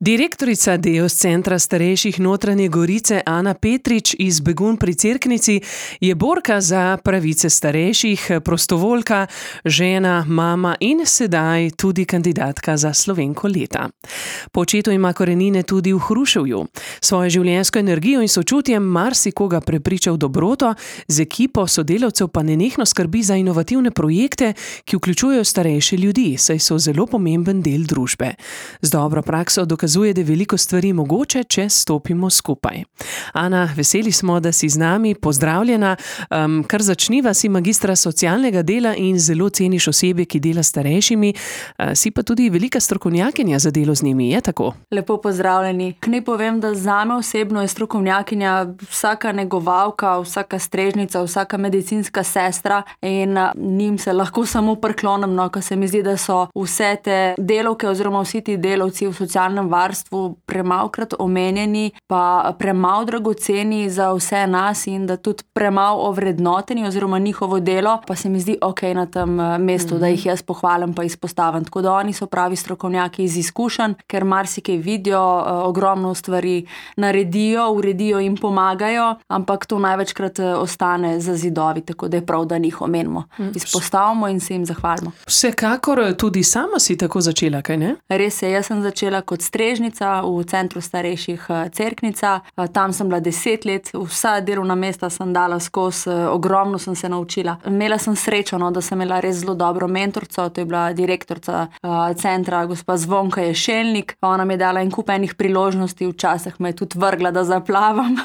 Direktorica Deos centra starejših Notranje Gorice Ana Petrič iz Begunj pri Cerknici je borka za pravice starejših, prostovoljka, žena, mama in sedaj tudi kandidatka za Slovenko leta. Po očetu ima korenine tudi v Hruševju. Svojo življenjsko energijo in sočutjem marsikoga prepriča v dobroto, z ekipo sodelavcev pa nenehno skrbi za inovativne projekte, ki vključujejo starejše ljudi, saj so zelo pomemben del družbe. Z dobro prakso dokazuje, da je veliko stvari mogoče, če stopimo skupaj. Ana, veseli smo, da si z nami. Pozdravljena. Kar začniva, si magistra socialnega dela in zelo ceniš osebje, ki dela s starejšimi. Si pa tudi velika strokovnjakinja za delo z njimi, je tako? Lepo pozdravljeni. Naj povem, da zame osebno je strokovnjakinja vsaka negovalka, vsaka strežnica, vsaka medicinska sestra in njim se lahko samo priklonim, ko se mi zdi, da so vse te delavke oziroma vsi ti delavci v socialnem varstvu premalokrat omenjeni, pa premalo dragoceni za vse nas in da tudi premalo ovrednoteni oziroma njihovo delo, pa se mi zdi okej na tem mestu, da jih jaz pohvalim pa izpostavim. Tako da oni so pravi strokovnjaki iz izkušenj, ker marsikaj vidijo, ogromno stvari naredijo, uredijo in pomagajo, ampak to največkrat ostane za zidovi, tako da je prav, da njih omenimo. Izpostavimo in se jim zahvalimo. Vsekakor tudi sama si tako začela, kaj ne? Res je, jaz sem začela kot strežnica v centru starejših Cerknica. Tam sem bila 10 let, vsa delovna mesta sem dala skozi, ogromno sem se naučila. Imela sem srečo, da sem imela res zelo dobro mentorico, to je bila direktorica centra, gospa Zvonka Ješelnik. Ona mi je dala en kup enih priložnosti, včasih me je tudi vrgla, da zaplavam.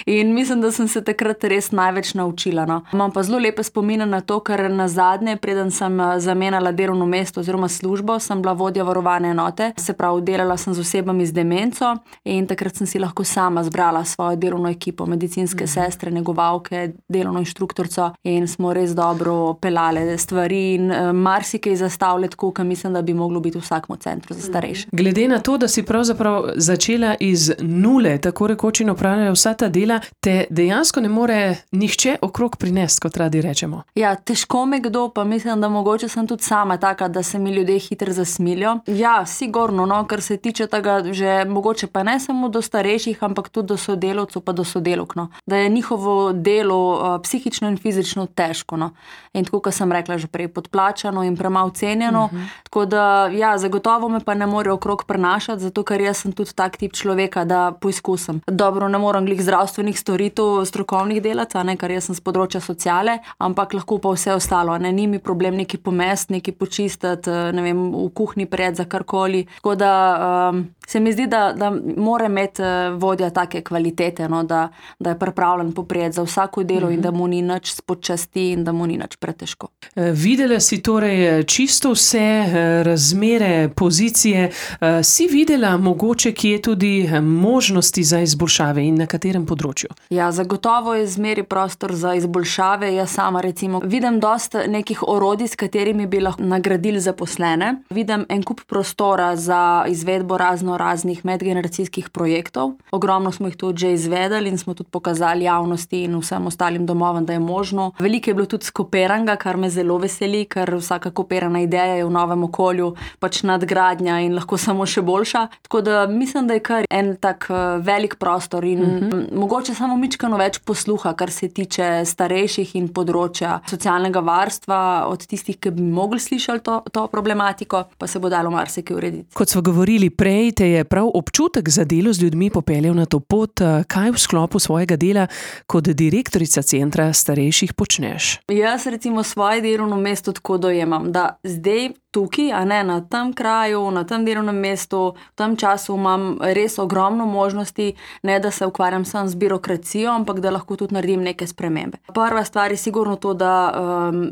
In mislim, da sem se takrat res največ naučila. Imam pa zelo lepe spomine na to, ker nazadnje, preden sem zamenjala delovno mesto oziroma službo, sem bila vodja varovane enote. Se pravi, delala sem z osebami z demenco in takrat sem si lahko sama zbrala svojo delovno ekipo, medicinske sestre, negovalke, delovno inštruktorico in smo res dobro pelale stvari in marsikaj zastavljati, kot mislim, da bi moglo biti v vsakem centru za starejše. Glede na to, da si pravzaprav začela iz nule, tako rekoč in opravljajo vsa ta dela, te dejansko ne more nihče okrog prinesti, kot radi rečemo. Ja, težko me kdo, pa mislim, da mogoče sem tudi sama taka, da se mi ljudje hitro zasmilijo. Ja, sigurno, kar se tiče tega, že mogoče pa ne samo do starejših, ampak tudi do sodelavcev pa do sodelavk, da je njihovo delo psihično in fizično težko. In tako, kot sem rekla že prej, podplačano in premalo cenjeno. Tako da, ja, zagotovo me pa ne more okrog prenašati, zato ker jaz sem tudi tak tip človeka, da poizkusim. Dobro, ne morem glih zdravstvenih storitev, strokovnih delavcev, ker jaz sem z področja sociale, ampak lahko pa vse ostalo. Ni mi problem neki pomest, neki počistiti, ne vem, v kuhinji pred za karkoli. Tako da se mi zdi, da mora imeti vodja take kvalitete, da je pripravljen poprijeti za vsako delo in da mu ni nič spočasti in da mu ni nič pretežko. Videla si torej čisto vse razmere, pozicije. Si videla mogoče, kje je tudi možnosti za izboljšave in na katerem področju? Ja, zagotovo je zmeri prostor za izboljšave. Jaz sama recimo vidim dosti nekih orodij, s katerimi bi lahko nagradili zaposlene. Vidim en kup prostora za izvedbo raznih medgeneracijskih projektov. Ogromno smo jih tudi že izvedeli in smo tudi pokazali javnosti in vsem ostalim domovom, da je možno. Veliko je bilo tudi skoperanga, kar me zelo veseli, ker vsaka koperana ideja je v novem okolju pač nadgradnja in lahko samo še boljša. Tako da mislim, da je kar en tak velik prostor in mogoče samo mičkano več posluha, kar se tiče starejših in področja socialnega varstva od tistih, ki bi mogli slišali to problematiko, pa se bo dalo marsikaj urediti. Kot smo govorili prej, te je prav občutek za delo z ljudmi popeljal na to pot. Kaj v sklopu svojega dela kot direktorica centra starejših počneš? Jaz recimo svoje delovno mesto tako dojemam, da zdaj tukaj, na tem kraju, na tem delovnem mestu, v tem času imam res ogromno možnosti, ne da se ukvarjam samo z birokracijo, ampak da lahko tudi naredim neke spremembe. Prva stvar je sigurno to, da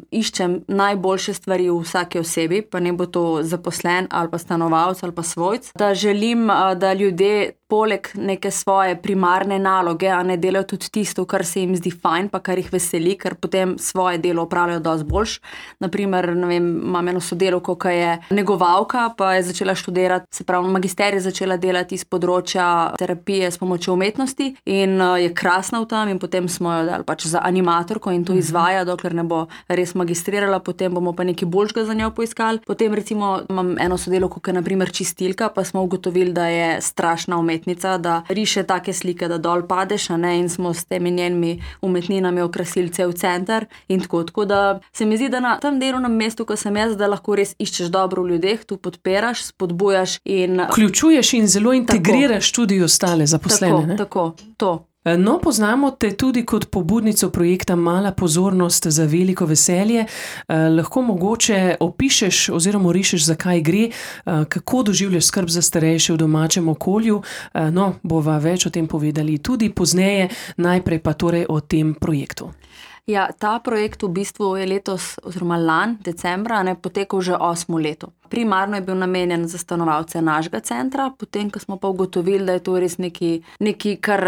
iščem najboljše stvari v vsaki osebi, pa ne bo to zaposlen ali pa stanovalec ali pa svojc, da želim, da ljudje poleg neke svoje primarne naloge, a ne delajo tudi tisto, kar se jim zdi fajn, pa kar jih veseli, ker potem svoje delo opravljajo dosti boljš. Naprimer, ne vem, imam eno sodelavko, ki je negovalka, pa je začela študirati, se pravi, magisterij začela delati iz področja terapije s pomočjo umetnosti in je krasna v tem in potem smo jo dali pač za animatorko in to izvaja, dokler ne bo res magistrirala, potem bomo pa nekaj boljšega za njo poiskali. Potem recimo imam eno sodelavko, ki je na primer čistilka, pa smo ugotovili, da je strašna umetnica, da riše take slike, da dol padeš, a ne, in smo s temi njenimi umetninami okrasili cel center in tako da se mi zdi, da na tem delovnem mestu, ko sem jaz, da lahko res iščeš dobro v ljudeh, tu podpiraš, spodbujaš in vključuješ in zelo integriraš tudi ostale zaposlene. Tako, to. No, poznamo te tudi kot pobudnico projekta Mala pozornost za veliko veselje. Lahko mogoče opišeš oziroma rišeš, zakaj gre, kako doživljaš skrb za starejše v domačem okolju. No, bova več o tem povedali tudi pozneje, najprej pa torej o tem projektu. Ja, ta projekt v bistvu je letos oziroma lani, decembra, potekal že 8. leto. Primarno je bil namenjen za stanovalce našega centra, potem, ko smo pa ugotovili, da je to res nekaj, kar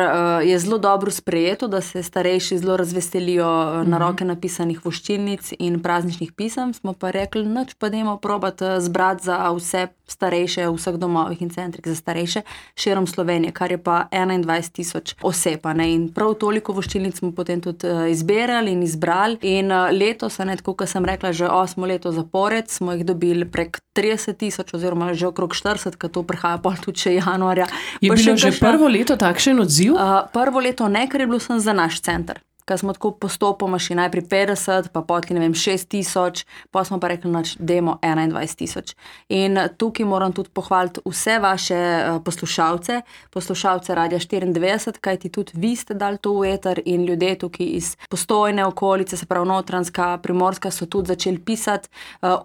je zelo dobro sprejeto, da se starejši zelo razveselijo na roke napisanih voščilnic in prazničnih pisem, smo pa rekli, nič pa dajmo probati zbrati za vse starejše v vseh domovih in centrih za starejše širom Slovenije, kar je pa 21,000 oseb. In prav toliko voščilnic smo potem tudi izbirali in izbrali in letos, tako kot sem rekla, že 8. leto zapored smo jih dobili prek 30,000 oziroma že okrog 40, ker to prihaja pol tudi še januarja. Je bilo že prvo leto takšen odziv? Prvo leto ne, ker je bilo sem za naš center. Ker smo tako postopoma šli najprej 50, pa potli 6,000, pa smo pa rekli, dajmo 21,000. In tukaj moram tudi pohvaliti vse vaše poslušalce Radia 94, kajti tudi vi ste dali to v eter in ljudje tukaj iz Postojne okolice, se pravi Notranjska, Primorska, so tudi začeli pisati.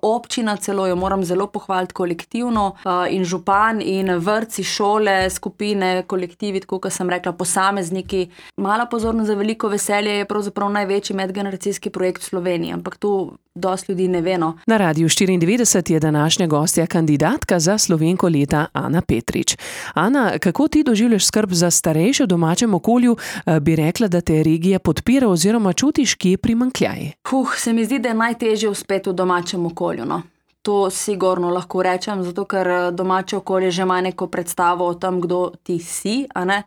Občina celo, jo moram zelo pohvaliti kolektivno in župan in vrtci, šole, skupine, kolektivi, tako kot sem rekla, posamezniki. Mala pozornost za veliko veselje je pravzaprav največji medgeneracijski projekt v Sloveniji, ampak to dosti ljudi ne ve. Na Radiu 94 je današnja gostja kandidatka za Slovenko leta Ana Petrič. Ana, kako ti doživljaš skrb za starejše v domačem okolju? Bi rekla, da te regija podpira oziroma čutiš, kje primanjkljaj? Se mi zdi, da je najtežje uspeti v domačem okolju. To sigurno lahko rečem, zato ker domače okolje že ima neko predstavo o tem, kdo ti si, a ne.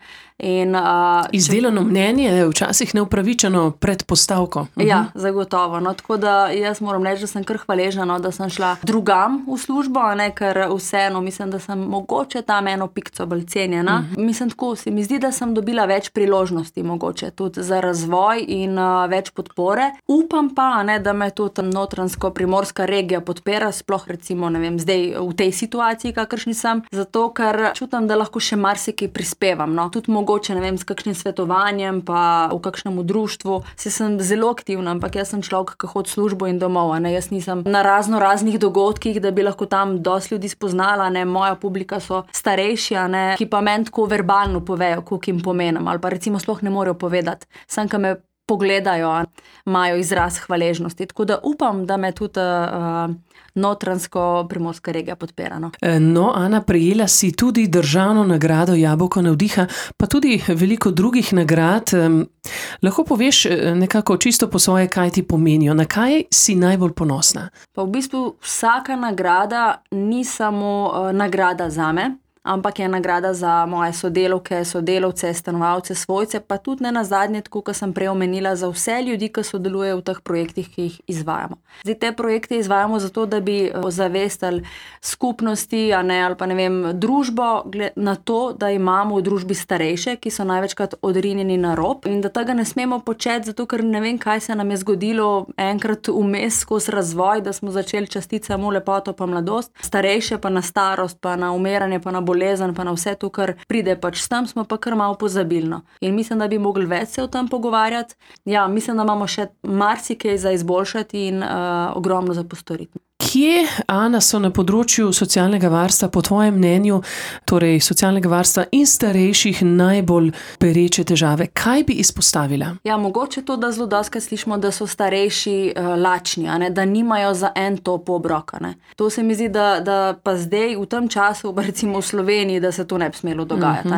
Izdelano mnenje, včasih neupravičeno predpostavko. Ja, zagotovo. Tako da jaz moram reči, da sem kar hvaležna, da sem šla drugam v službo, a ne, ker vseeno mislim, da sem mogoče tam eno pikco bolj cenjena. Mislim, tako se mi zdi, da sem dobila več priložnosti mogoče tudi za razvoj in več podpore. Upam pa, a ne, da me tudi Notranjsko-Primorska regija podpira, sploh recimo, ne vem, zdaj v tej situaciji, kakršni sem, zato ker čutim, da lahko še marsikaj prispevam. Tudi mogoče, ne vem, s kakšnim svetovanjem, pa v kakšnem društvu. Sem zelo aktivna, ampak jaz sem človek, ki hodi v službo in domov, a ne. Jaz nisem na raznih dogodkih, da bi lahko tam dosti ljudi spoznala, ne. Moja publika so starejši, a ne, ki pa meni tako verbalno povejo, koliko jim pomenim, ali pa recimo sploh ne morejo povedati. Samo, ki me pogledajo, imajo izraz hvaležnosti. Tako da upam, da me tudi Notranjsko-Primorska regija podpira. No, Ana, prejela si tudi državno nagrado Jabolko navdiha, pa tudi veliko drugih nagrad. Lahko poveš nekako čisto po svoje, kaj ti pomenijo, na kaj si najbolj ponosna? Pa v bistvu vsaka nagrada ni samo nagrada zame, ampak je nagrada za moje sodelavke, sodelavce, stanovalce, svojce, pa tudi ne nazadnje, tako kot sem prej omenila, za vse ljudi, ki sodelujejo v teh projektih, ki jih izvajamo. Zdaj, te projekte izvajamo zato, da bi ozavestili skupnosti, a ne, ali pa ne vem, družbo na to, da imamo v družbi starejše, ki so največkrat odrinjeni na rob in da tega ne smemo početi, zato ker ne vem, kaj se nam je zgodilo enkrat vmes skozi razvoj, da smo začeli častiti samo lepoto pa mladost, starejše pa na starost, pa na umiranje, pa na bolezen, pa na vse to, kar pride pač s tem, smo pa kar malo pozabilno. In mislim, da bi mogli več se o tem pogovarjati. Ja, mislim, da imamo še marsikaj za izboljšati in ogromno za postoriti. Kje, Ana, so na področju socialnega varstva, po tvojem mnenju, torej socialnega varstva in starejših najbolj pereče težave? Kaj bi izpostavila? Ja, mogoče to, da zelo dostikrat slišimo, da so starejši lačni, da nimajo za en top obroka. To se mi zdi, da pa zdaj v tem času, recimo v Sloveniji, da se to ne bi smelo dogajati.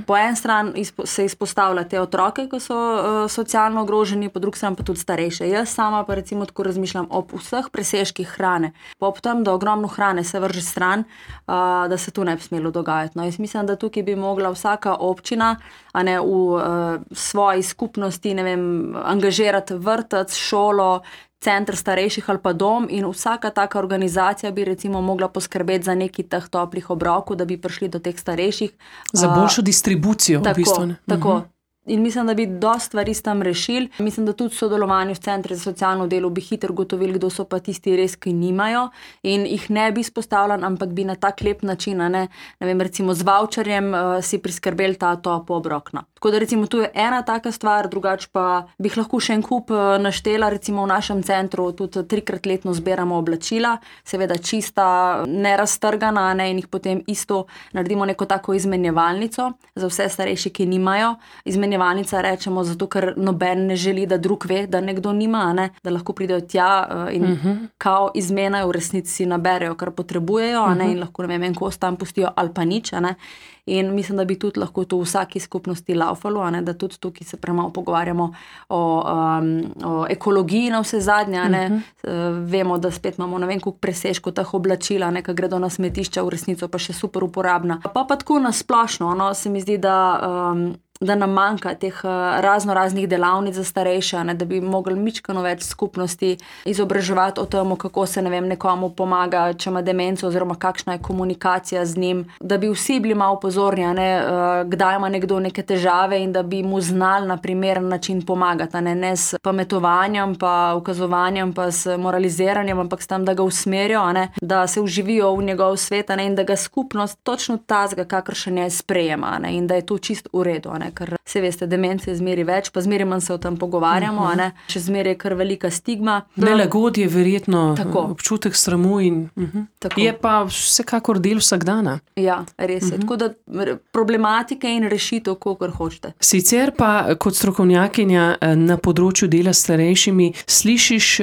Po en stran se izpostavlja te otroke, ki so socialno ogroženi, po drugi strani pa tudi starejše. Jaz sama pa recimo tako razmišljam ob vseh presežkih hrane, pa ob tem, da ogromno hrane se vrže stran, da se to ne bi smelo dogajati. Jaz mislim, da tukaj bi mogla vsaka občina v svoji skupnosti, angažirati vrtec, šolo, center starejših ali pa dom, in vsaka taka organizacija bi recimo mogla poskrbeti za neki teh toplih obrokov, da bi prišli do teh starejših. Za boljšo distribucijo. Tako, v bistvu. Tako. In mislim, da bi dosti stvari s tem rešili. Mislim, da tudi v sodelovanju v centri za socialno delo bi hitro gotovili, kdo so pa tisti res, ki nimajo, in jih ne bi izpostavljali, ampak bi na tak lep način, recimo z voucherjem si priskrbeli ta topo obrok. Tako da recimo tu je ena taka stvar, drugače pa bi lahko še en kup naštela. Recimo v našem centru tudi 3-krat letno zbiramo oblačila, seveda čista, neraztrgana, in jih potem isto naredimo neko tako izmenjevalnico za vse starejše, ki nimajo. Izmenjevalnica rečemo zato, ker noben ne želi, da drug ve, da nekdo nima, da lahko pridejo tja in kao izmenajo, v resnici si naberejo, kar potrebujejo, in lahko en kos tam pustijo ali pa nič. In mislim, da bi tudi lahko to v vsaki skupnosti laufalo, da tudi tukaj se premalo pogovarjamo o ekologiji na vse zadnje. Vemo, da spet imamo koliko presežkov teh oblačil, ki gredo na smetišča, v resnico pa še super uporabna. Pa tako nasplošno, se mi zdi, da nam manjka teh raznih delavnic za starejše, da bi mogli mičkano več skupnosti izobraževati o tem, kako se nekomu pomaga, če ima demenco, oziroma kakšna je komunikacija z njim, da bi vsi bili malo pozorni, kdaj ima nekdo neke težave, in da bi mu znali na primeren način pomagati, ne s pametovanjem, pa ukazovanjem, pa s moraliziranjem, ampak s tem, da ga usmerijo, da se vživijo v njegov svet, in da ga skupnost točno tazga, kakršen je, sprejema, in da je to čist v redu. Ker se veste, demence je zmeri več, pa zmeri manj se o tem pogovarjamo, še zmeri je kar velika stigma. Nelagodje je verjetno občutek sramu in je pa vsekakor del vsakdana. Ja, res je. Tako da problematike in rešitev, kolikor hočete. Sicer pa kot strokovnjakinja na področju dela s starejšimi slišiš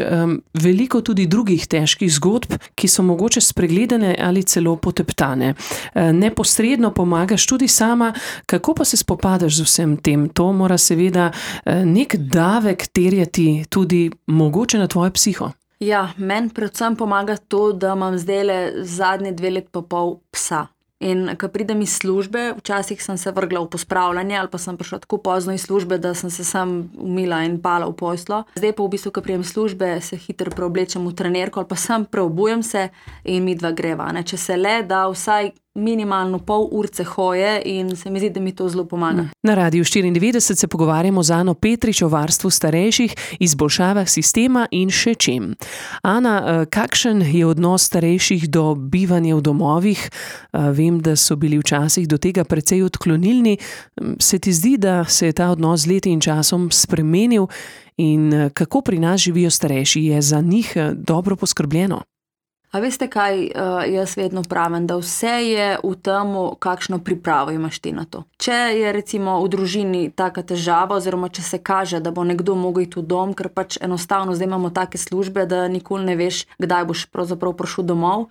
veliko tudi drugih težkih zgodb, ki so mogoče spregledane ali celo poteptane. Neposredno pomagaš tudi sama, kako pa se spopadaš z vsem tem? To mora seveda nek davek terjati tudi mogoče na tvojo psiho. Ja, meni predvsem pomaga to, da imam zdajle zadnje 2 leti pa pol psa. In ko pridem iz službe, včasih sem se vrgla v pospravljanje ali pa sem prišla tako pozno iz službe, da sem se sam umila in pala v poslo. Zdaj pa v bistvu, ko pridem iz službe, se hitro preoblečem v trenerko ali pa sam preobujem se in midva greva. Če se le da vsaj minimalno pol urce hoje, in se mi zdi, da mi to zelo pomaga. Na Radiu 94 se pogovarjamo z Ano Petrič o varstvu starejših, izboljšavah sistema in še čem. Ana, kakšen je odnos starejših do bivanja v domovih? Vem, da so bili včasih do tega precej odklonilni. Se ti zdi, da se je ta odnos z leti in časom spremenil, in kako pri nas živijo starejši? Je za njih dobro poskrbljeno? A veste kaj, jaz vedno pravim, da vse je v tem, kakšno pripravo imaš ti na to. Če je recimo v družini taka težava, oziroma če se kaže, da bo nekdo mogel iti v dom, ker pač enostavno zdaj imamo take službe, da nikoli ne veš, kdaj boš pravzaprav prišel domov.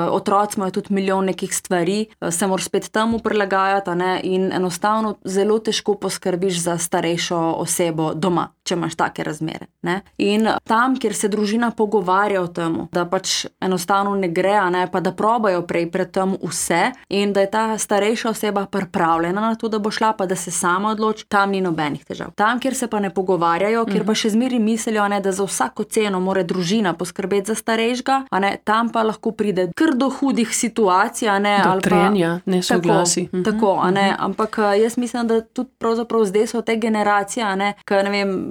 Otroci imajo tudi milijon nekih stvari, se moraš spet temu prilagajati, in enostavno zelo težko poskrbiš za starejšo osebo doma, če imaš take razmere. In tam, kjer se družina pogovarja o tem, da pač enostavno ne gre, pa da probajo prej pred tem vse, in da je ta starejša oseba pripravljena na to, da bo šla, pa da se sama odloči, tam ni nobenih težav. Tam, kjer se pa ne pogovarjajo, kjer pa še zmeri mislijo, da za vsako ceno mora družina poskrbeti za starejšega, tam pa lahko pride kar do hudih situacij, do trenja, nesoglasij. Tako, ampak jaz mislim, da tudi pravzaprav zdaj so te generacije, ki,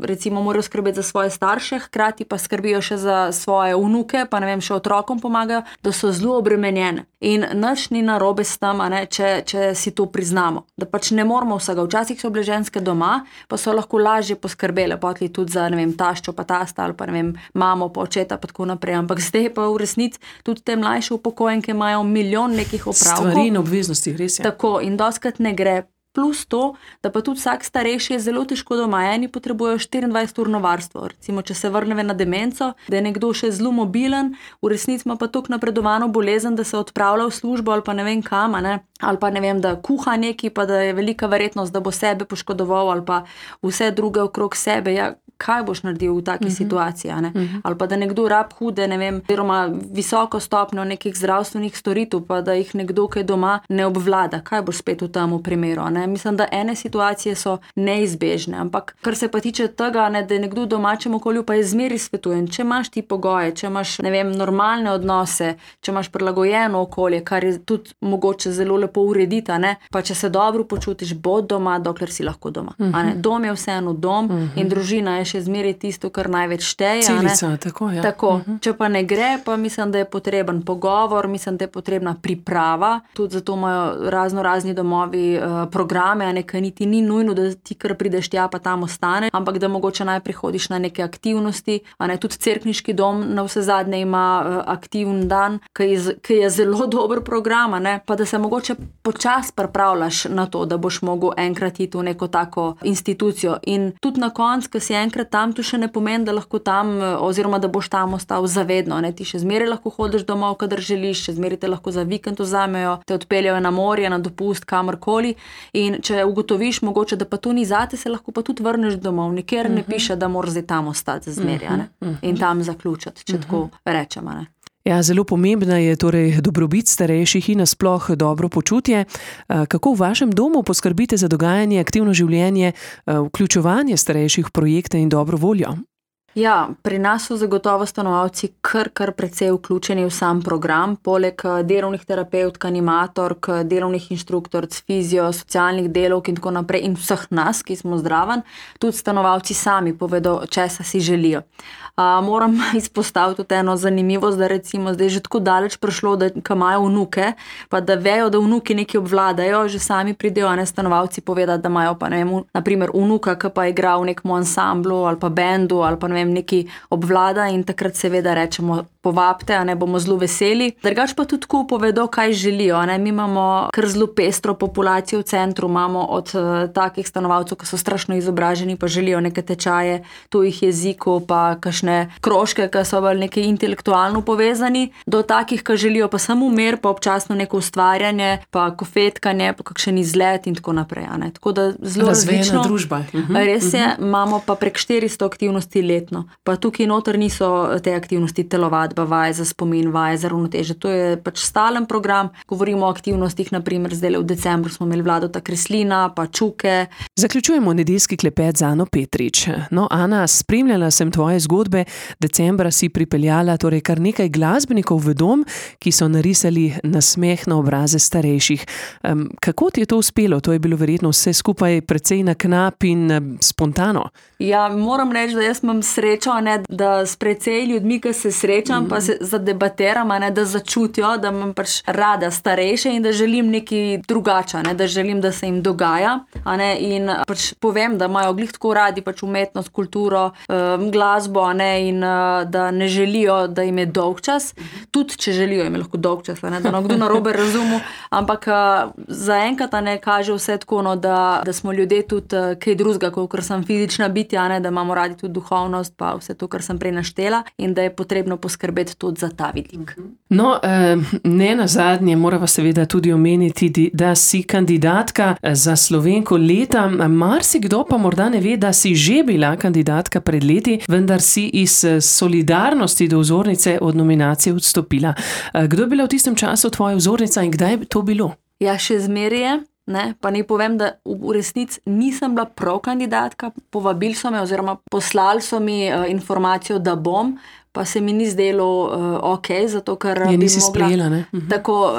recimo morajo skrbeti za svoje starše, hkrati pa skrbijo še za svoje vnuke, pa še otroke otrokom pomagajo, da so zelo obremenjene. In nič ni narobe s tem, če si to priznamo. Da pač ne moramo vsega. Včasih so bile ženske doma, pa so lahko lažje poskrbele, potli tudi za, taščo pa tasta ali pa, mamo pa očeta pa tako naprej. Ampak zdaj pa v resnici tudi te mlajše upokojenke imajo milijon nekih opravkov. Stvari in obveznosti, res je. Tako, in dostikrat ne gre. Plus to, da pa tudi vsak starejši je zelo težko doma. Eni potrebujejo 24-urno varstvo. Recimo, če se vrneve na demenco, da je nekdo še zelo mobilen, v resnici ima pa toliko napredovano bolezen, da se odpravlja v službo ali pa ne vem kam, ali pa da kuha neki, pa da je velika verjetnost, da bo sebe poškodoval ali pa vse druge okrog sebe. Ja, kaj boš naredil v taki situaciji, ali pa da nekdo rab hude, oziroma visoko stopnjo nekih zdravstvenih storitev, pa da jih nekdo, ki je doma, ne obvlada. Kaj boš spet v tem primeru, Mislim, da ene situacije so neizbežne, ampak kar se pa tiče tega, da je nekdo v domačem okolju, pa je zmeri svetujem, če imaš ti pogoje, če imaš, normalne odnose, če imaš prilagojeno okolje, kar je tudi mogoče zelo lepo urediti, pa če se dobro počutiš, bod doma, dokler si lahko doma. Dom je vseeno dom in družina je še zmeri tisto, kar največ šteje. Celica, tako, ja. Tako, če pa ne gre, pa mislim, da je potreben pogovor, mislim, da je potrebna priprava, tudi zato imajo razni domovi programe, kaj niti ni nujno, da ti kar prideš tja, pa tam ostane, ampak da mogoče najprej hodiš na neke aktivnosti, tudi cerkniški dom na vse zadnje ima aktivn dan, ki je zelo dober program, pa da se mogoče počas pripravljaš na to, da boš mogel enkrat iti v neko tako institucijo. In tudi na koncu, ko si enkrat tam, to še ne pomeni, da lahko tam, oziroma da boš tam ostal zavedno. Ti še zmeraj lahko hodiš domov, kadar želiš, še zmeraj te lahko za vikend vzamejo, te odpeljajo na morje, na dopust, kamorkoli. In če ugotoviš mogoče, da pa to ni zate, se lahko pa tudi vrneš domov. Nikjer ne piše, da moraš zdaj tam ostati zmeraj, in tam zaključiti, če tako rečemo, Ja, zelo pomembna je torej dobrobit starejših in nasploh dobro počutje. Kako v vašem domu poskrbite za dogajanje, aktivno življenje, vključevanje starejših v projekte in dobro voljo? Ja, pri nas so zagotovo stanovalci kar precej vključeni v sam program, poleg delovnih terapevtk, animatork, delovnih inštruktorc, fizio, socialnih delavk in tako naprej in vseh nas, ki smo zdraven, tudi stanovalci sami povedo, česa si želijo. Moram izpostaviti tudi eno zanimivost, da recimo zdaj že tako daleč prišlo, da ko imajo vnuke, pa da vejo, da vnuki nekaj obvladajo, že sami pridejo stanovalci povedati, da imajo pa na primer vnuka, ki pa igra v nekem ansamblu ali pa bendu ali pa neki obvlada in takrat seveda rečemo, povabite, bomo zelo veseli. Drugače pa tudi tako povedo, kaj želijo. Mi imamo kar zelo pestro populacijo v centru, imamo od takih stanovalcev, ki so strašno izobraženi, pa želijo neke tečaje tujih jezikov, pa kakšne krožke, ki so bolj nekaj intelektualno povezani, do takih, ki želijo pa samo mir, pa občasno neko ustvarjanje, pa kofetkanje, pa kakšen izlet in tako naprej. Tako da zelo različno. Razvejena družba. Res je, imamo pa prek 400 aktivnosti letno. Pa tukaj noter niso te aktivnosti telovadba, vaje za spomin, vaje za ravnoteže. To je pač stalen program. Govorimo o aktivnostih, naprimer zdaj v decembru smo imeli Vladota Kreslina, pa Čuke. Zaključujemo nedeljski klepet z Ano Petrič. No, Ana, spremljala sem tvoje zgodbe. Decembra si pripeljala torej kar nekaj glasbenikov v dom, ki so narisali nasmeh na obraze starejših. Kako ti je to uspelo? To je bilo verjetno vse skupaj precej na knap in spontano. Ja, moram reči, da jaz imam srečo, da s precej ljudmi, ki se srečam, pa se zadebatiram, da začutijo, da imam pač rada starejše in da želim nekaj drugače, da želim, da se jim dogaja. In pač povem, da imajo glih tako radi pač umetnost, kulturo, glasbo, in da ne želijo, da jim je dolgčas. Tudi, če želijo, jim je lahko dolgčas, da nekdo narobe razumel. Ampak zaenkrat kaže vse tako, da smo ljudje tudi kaj drugega, kot sem fizična bitja, da imamo radi tudi duhovnost, pa vse to, kar sem prej naštela, in da je potrebno poskrbeti tudi za ta vidik. No, ne nazadnje morava seveda tudi omeniti, da si kandidatka za Slovenko leta. Marsikdo pa morda ne ve, da si že bila kandidatka pred leti, vendar si iz solidarnosti do vzornice od nominacije odstopila. Kdo je bila v tistem času tvoja vzornica in kdaj je to bilo? Ja, še zmeraj je. Pa naj povem, da v resnici nisem bila prav kandidatka, povabili so me oziroma poslali so mi informacijo, da bom, pa se mi ni zdelo ok, zato ker Je nisi sprejela, ne? Tako,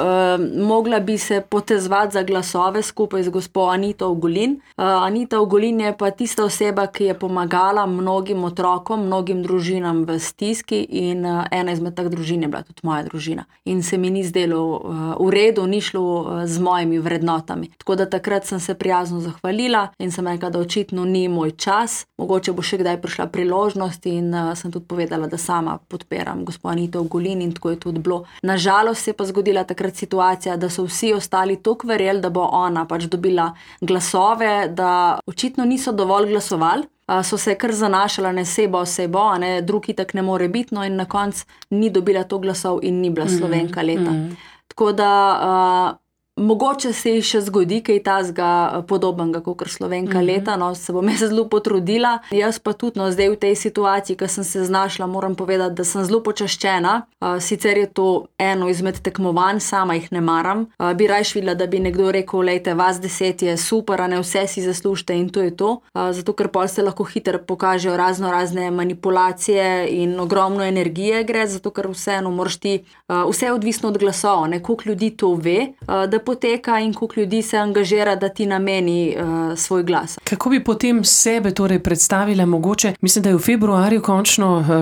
mogla bi se potezvati za glasove skupaj z gospo Anito Ogulin. Anita Ogulin je pa tista oseba, ki je pomagala mnogim otrokom, mnogim družinam v stiski in ena izmed teh družin je bila tudi moja družina. In se mi ni zdelo v redu, ni šlo z mojimi vrednotami. Tako da takrat sem se prijazno zahvalila in sem rekla, da očitno ni moj čas, mogoče bo še kdaj prišla priložnost in sem tudi povedala, da sama podpiram gospo Anito Ogulin in tako je tudi bilo. Nažalost se je pa zgodila takrat situacija, da so vsi ostali toliko verjeli, da bo ona pač dobila glasove, da očitno niso dovolj glasovali. So se kar zanašala na sebo, drug itak ne more biti, no in na koncu ni dobila to glasov in ni bila Slovenka leta. Tako da mogoče se ji še zgodi kaj tazga podobnega kot Slovenka leta, no se bom jaz zelo potrudila. Jaz pa tudi zdaj v tej situaciji, ko sem se znašla, moram povedati, da sem zelo počaščena. Sicer je to eno izmed tekmovanj, sama jih ne maram. Bi rajš videla, da bi nekdo rekel, lejte, vas 10 je super, vse si zaslužite in to je to. Zato, ker pol se lahko hitro pokažejo razne manipulacije in ogromno energije gre, zato ker vseeno moraš ti, vse je odvisno od glasov, koliko ljudi to ve, da poteka in koliko ljudi se angažira, da ti nameni svoj glas. Kako bi potem sebe torej predstavila mogoče? Mislim, da je v februarju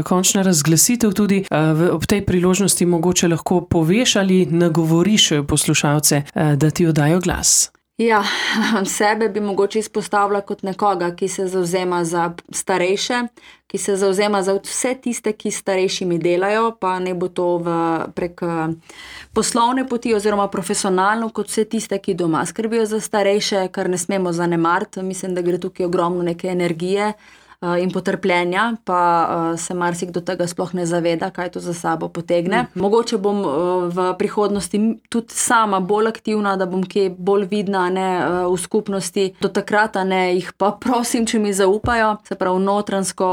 končna razglasitev tudi. Ob tej priložnosti mogoče lahko poveš ali nagovoriš poslušalce, da ti oddajo glas. Ja, sebe bi mogoče izpostavila kot nekoga, ki se zavzema za starejše, ki se zavzema za vse tiste, ki s starejšimi delajo, pa ne bo to prek poslovne poti oziroma profesionalno, kot vse tiste, ki doma skrbijo za starejše, kar ne smemo zanemariti. Mislim, da gre tukaj ogromno neke energije in potrpljenja, pa se marsikdo tega sploh ne zaveda, kaj to za sabo potegne. Mogoče bom v prihodnosti tudi sama bolj aktivna, da bom kje bolj vidna v skupnosti. Do takrat jih pa prosim, če mi zaupajo, se pravi notranjsko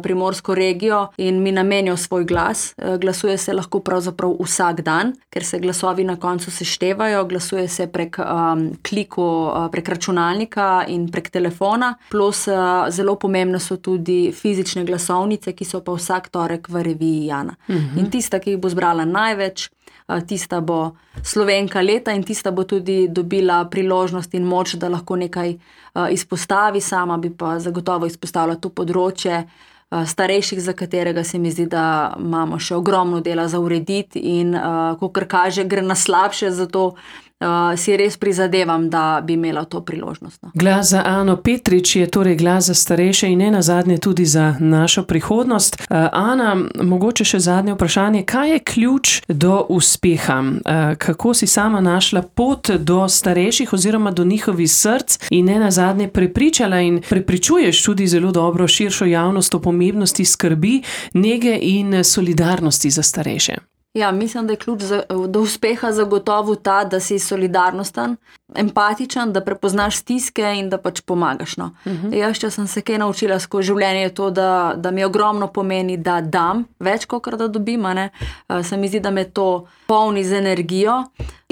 primorsko regijo in mi namenijo svoj glas. Glasuje se lahko pravzaprav vsak dan, ker se glasovi na koncu seštevajo, glasuje se prek klikov, prek računalnika in prek telefona, plus zelo pomembno so tudi fizične glasovnice, ki so pa vsak torek v reviji Jana. In tista, ki jih bo zbrala največ, tista bo Slovenka leta in tista bo tudi dobila priložnost in moč, da lahko nekaj izpostavi. Sama bi pa zagotovo izpostavila to področje starejših, za katerega se mi zdi, da imamo še ogromno dela za urediti in kakor kaže, gre na slabše, zato si res prizadevam, da bi imela to priložnost. Glas za Ano Petrič je torej glas za starejše in nenazadnje tudi za našo prihodnost. Ana, mogoče še zadnje vprašanje. Kaj je ključ do uspeha? Kako si sama našla pot do starejših oziroma do njihovih src in nenazadnje prepričala in prepričuješ tudi zelo dobro širšo javnost o pomembnosti skrbi, nege in solidarnosti za starejše? Ja, mislim, da je ključ do uspeha zagotovo ta, da si solidarnosten, empatičen, da prepoznaš stiske in da pač pomagaš. No. Jaz, če sem se kaj naučila skozi življenje, je to, da mi ogromno pomeni, da dam več, kot da dobim. Se mi zdi, da me to polni z energijo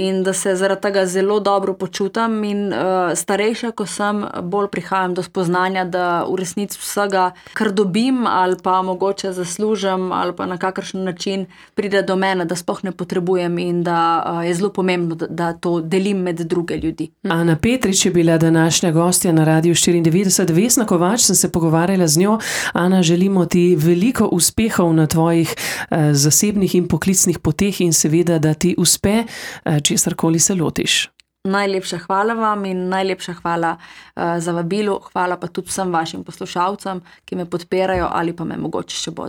in da se zaradi tega zelo dobro počutam in starejša, ko sem, bolj prihajam do spoznanja, da v resnici vsega, kar dobim ali pa mogoče zaslužim ali pa na kakršen način pride do mene, da sploh ne potrebujem in da je zelo pomembno, da to delim med druge ljudi. Ana Petrič je bila današnja gostja na Radiu 94. Vesna Kovač, sem se pogovarjala z njo. Ana, želimo ti veliko uspehov na tvojih zasebnih in poklicnih poteh in seveda, da ti uspe, česarkoli se lotiš. Najlepša hvala vam in najlepša hvala za vabilo. Hvala pa tudi vsem vašim poslušalcem, ki me podpirajo ali pa me mogoče še bodo.